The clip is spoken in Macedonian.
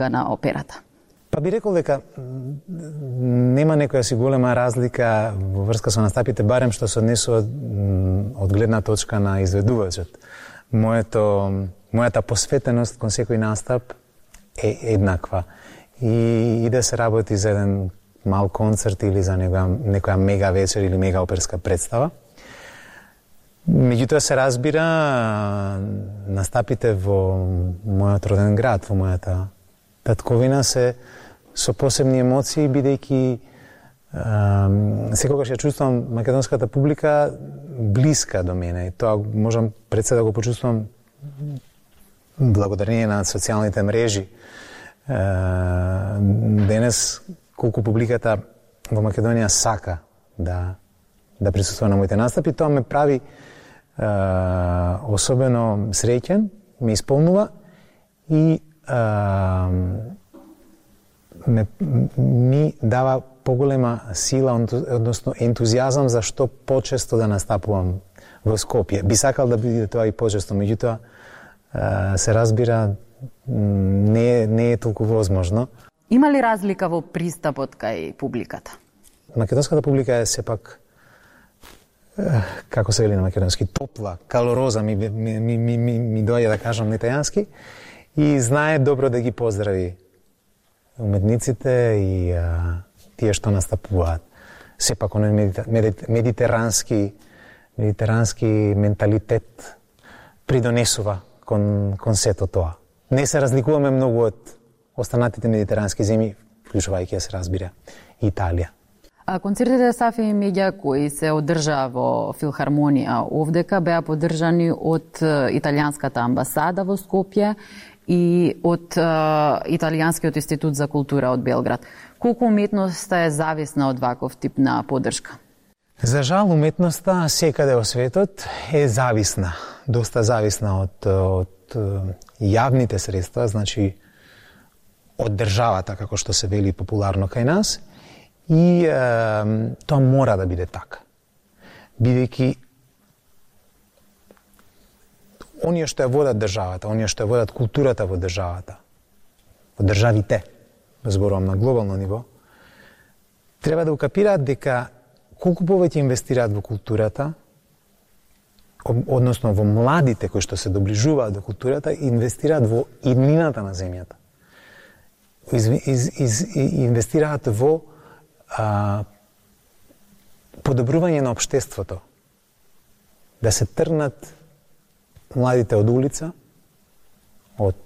на операта? Па би рекол дека нема некоја си голема разлика во врска со настапите, барем што се однесува од гледна точка на изведувачот. Мојата посветеност кон секој настап е еднаква. И да се работи за еден мал концерт или за некоја мега вечер или мега оперска представа. Меѓутоа се разбира, настапите во мојот роден град, во мојата татковина се со посебни емоции, бидејќи секогаш ја чувствувам македонската публика блиска до мене. И тоа можам пред се да го почувствувам благодарение на социјалните мрежи. Денес, колку публиката во Македонија сака да присуствува на моите настапи, тоа ме прави особено среќен, ме исполнува и ми дава поголема сила, односно ентузијазам за што почесто да настапувам во Скопје. Би сакал да биде тоа и почесто, меѓутоа се разбира не е толку возможно. Има ли разлика во пристапот кај публиката? Македонската публика е сепак, како се вели на македонски, топла, калороза ми доаѓа да кажам на италијански, и знае добро да ги поздрави уметниците и тие што настапуваат. Сепак оној медитерански менталитет придонесува кон сето тоа. Не се разликуваме многу од останатите медитерански земји, вклучувајќи се разбира Италија. Концертите Сафи и Меѓа кои се одржаа во Филхармонија овдека беа поддржани од италијанската амбасада во Скопје и од Италијанскиот институт за култура од Белград. Колку уметноста е зависна од ваков тип на поддршка? За жал, уметноста секаде во светот е зависна, доста зависна од јавните средства, значи од државата, како што се вели популарно кај нас, и тоа мора да биде така. Бидејќи оние што ја водат државата, оние што ја водат културата во државата, во државите, зборувам на глобално ниво, треба да укапираат дека колку повеќе инвестираат во културата, односно во младите кои што се доближуваат до културата, инвестираат во иднината на земјата. Инвестираат во подобрување на општеството. Да се тргнат младите од улица, од